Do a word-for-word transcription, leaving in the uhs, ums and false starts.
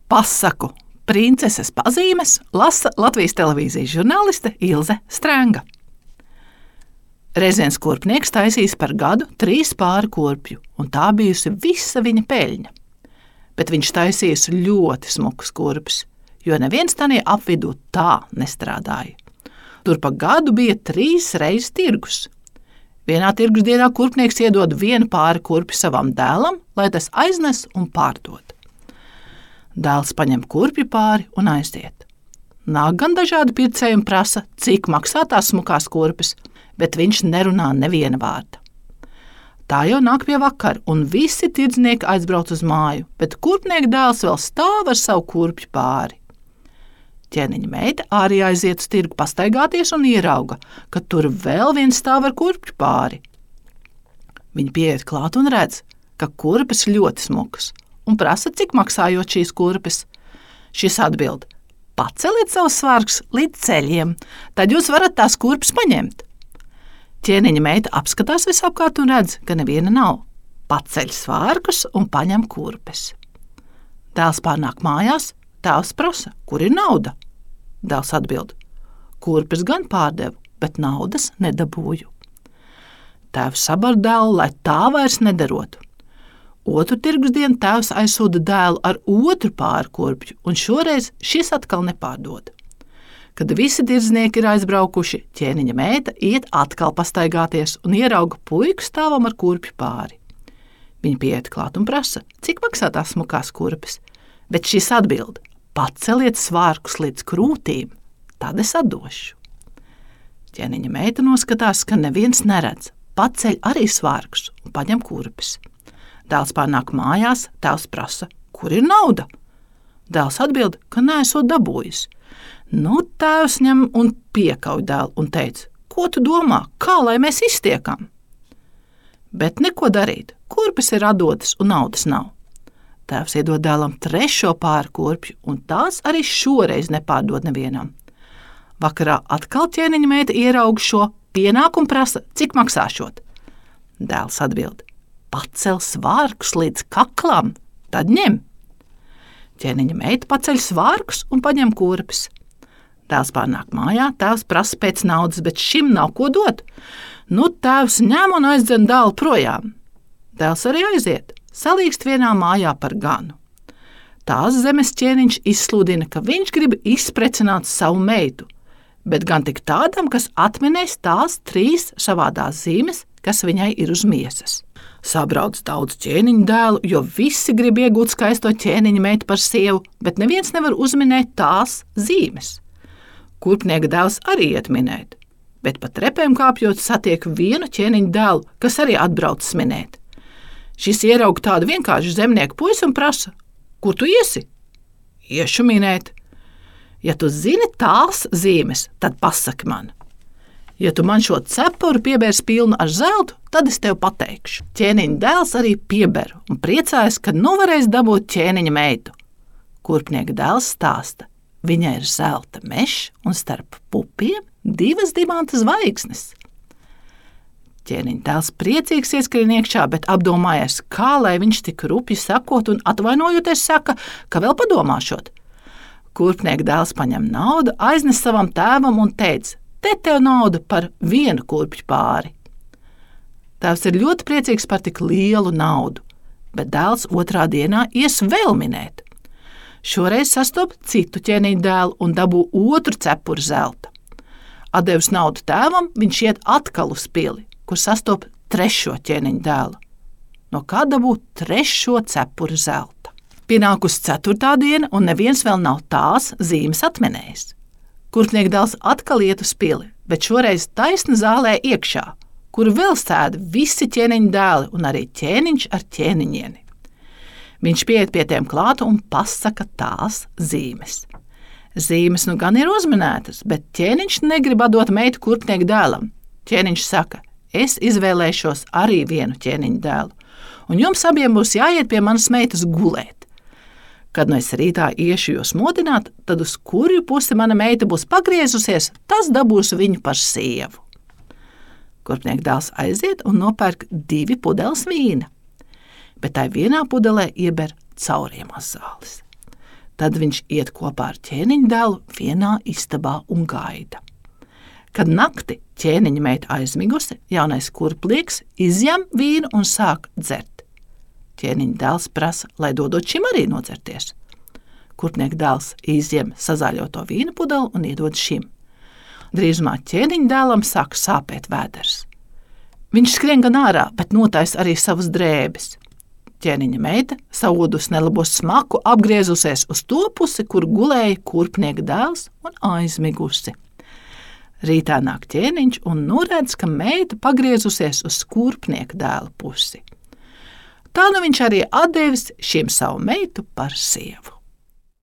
Pasaku princeses pazīmes lasa Latvijas televīzijas žurnāliste Ilze Strenga. Reizēns kurpnieks taisīs par gadu trīs pāri kurpju, un tā bijusi visa viņa peļņa. Bet viņš taisījis ļoti smukus kurpes, jo neviens tanie apvidū tā nestrādāja. Tur pa gadu bija trīs reizes tirgus. Vienā tirgus dienā kurpnieks iedod vienu pāri kurpi savam dēlam, lai tas aiznes un pārdod. Dēls paņem kurpju pāri un aiziet. Nāk gan dažādi pircēji un prasa, cik maksā tās smukās kurpes, bet viņš nerunā neviena vārda. Tā jau nāk pie vakara, un visi tirdznieki aizbrauc uz māju, bet kurpnieka dēls vēl stāv ar savu kurpju pāri. Ķēniņa meita arī aiziet uz tirgu pastaigāties un ierauga, ka tur vēl viens stāv ar kurpju pāri. Viņa pieiet klāt un redz, ka kurpes ļoti smukas, un prasa, cik maksājot šīs kurpes. Šis atbild: paceliet savus svārkus līdz ceļiem, tad jūs varat tās kurpes paņemt. Ķēniņa meita apskatās visapkārt un redz, ka neviena nav. Paceļ svārkus un paņem kurpes. Dēls pārnāk mājās, tēvs prasa, kur ir nauda. Dēls atbild: kurpes gan pārdevu, bet naudas nedabūju. Tēvs sabar dēlu, lai tā vairs nedarotu. Otru tirgus dienu tēvs aizsūda dēlu ar otru pāri kurpju, un šoreiz šis atkal nepārdod. Kad visi tirdznieki ir aizbraukuši, ķēniņa meita iet atkal pastaigāties un ierauga puiku stāvam ar kurpju pāri. Viņa pieiet klāt un prasa, cik maksā tās smukās kurpes, bet šis atbild: paceliet svārkus līdz krūtīm, tad es atdošu. Ķēniņa meita noskatās, ka neviens neredz, paceļ arī svārkus un paņem kurpes. Dēls pārnāk mājās, tēvs prasa, kur ir nauda. Dēls atbild, ka neesot dabūjis. Nu, tēvs ņem un piekauj dēlu un teica: ko tu domā, kā lai mēs iztiekam? Bet neko darīt, kurpes ir atdotas un naudas nav. Tēvs iedod dēlam trešo pāri kurpju, un tās arī šoreiz nepārdod nevienam. Vakarā atkal ķēniņa meita ieraug šo, pienāk un prasa, cik maksāšot. Dēls atbild: pacel svārkus līdz kaklam, tad ņem. Ķēniņa meita paceļ svārkus un paņem kurpes. Dēls pārnāk mājā, tēvs prasa pēc naudas, bet šim nav ko dot. Nu, tēvs ņem un aizdzen dēlu projām. Dēls arī aiziet, salīkst vienā mājā par ganu. Tās zemes ķēniņš izsludina, ka viņš grib izprecināt savu meitu, bet gan tik tādam, kas atminēs tās trīs savādās zīmes, kas viņai ir uz miesas. Sabrauc daudz ķēniņu dēlu, jo visi grib iegūt skaisto ķēniņa meitu par sievu, bet neviens nevar uzminēt tās zīmes. Kurpnieka dēls arī iet minēt, bet pa trepēm kāpjot satiek vienu ķēniņu dēlu, kas arī atbrauc minēt. Šis ieraug tādu vienkāršu zemnieku puisi un prasa: kur tu iesi? Iešu minēt. Ja tu zini tās zīmes, tad pasaki man. Ja tu man šo cepuru piebērs pilnu ar zeltu, tad es tev pateikšu. Ķēniņa dēls arī pieber un priecājas, ka nu varēs dabūt ķēniņa meitu. Kurpnieka dēls stāsta: viņai ir zelta mešs un starp pupiem divas dimanta zvaigznes. Ķēniņa dēls priecīgs ieskrien iekšā, bet apdomājies, kā lai viņš tik rupji sakot un atvainojoties saka, ka vēl padomāšot. Kurpnieka dēls paņem naudu, aiznes savam tēvam un teica: te tev nauda par vienu kurpju pāri. Tēvs ir ļoti priecīgs par tik lielu naudu, bet dēls otrā dienā ies vēl minēt. Šoreiz sastop citu ķēniņa dēlu un dabū otru cepuru zelta. Atdevis naudu tēvam, viņš iet atkal uz pili, kur sastop trešo ķēniņa dēlu. No kā dabū trešo cepuru zelta. Pienākus ceturtā diena, un neviens vēl nav tās zīmes atminējis. Kurpnieka dēls atkal iet uz pili, bet šoreiz taisni zālē iekšā, kur vēl sēda visi ķēniņa dēli un arī ķēniņš ar ķēniņieni. Viņš pieiet pie tiem klāt un pasaka tās zīmes. Zīmes nu gan ir uzminētas, bet ķēniņš negrib atdot meitu kurpnieka dēlam. Ķēniņš saka: es izvēlēšos arī vienu ķēniņa dēlu, un jums abiem būs jāiet pie manas meitas gulēt. Kad nu es rītā iešu jūs modināt, tad uz kurju pusi mana meita būs pagriezusies, tas dabūs viņu par sievu. Kurpnieka dēls aiziet un nopērk divi pudeles vīna, bet tai vienā pudelē ieber cauriemās zāles. Tad viņš iet kopā ar ķēniņa dēlu vienā istabā un gaida. Kad nakti ķēniņa meita aizmigusi, jaunais kurpnieks izjam vīnu un sāk dzert. Ķēniņa dēls prasa, lai dodot šim arī nodzerties. Kurpnieka dēls izjem sazāļoto vīna pudeli un iedod šim. Drīzumā ķēniņa dēlam sāk sāpēt vēders. Viņš skrien gan ārā, bet notaisa arī savas drēbes. Ķēniņa meita, saodus nelabo smaku, apgriezusies uz to pusi, kur gulēja kurpnieka dēls un aizmigusi. Rītā nāk ķēniņš un noredz, ka meita pagriezusies uz kurpnieka dēla pusi. Tā nu viņš arī atdevis šim savu meitu par sievu.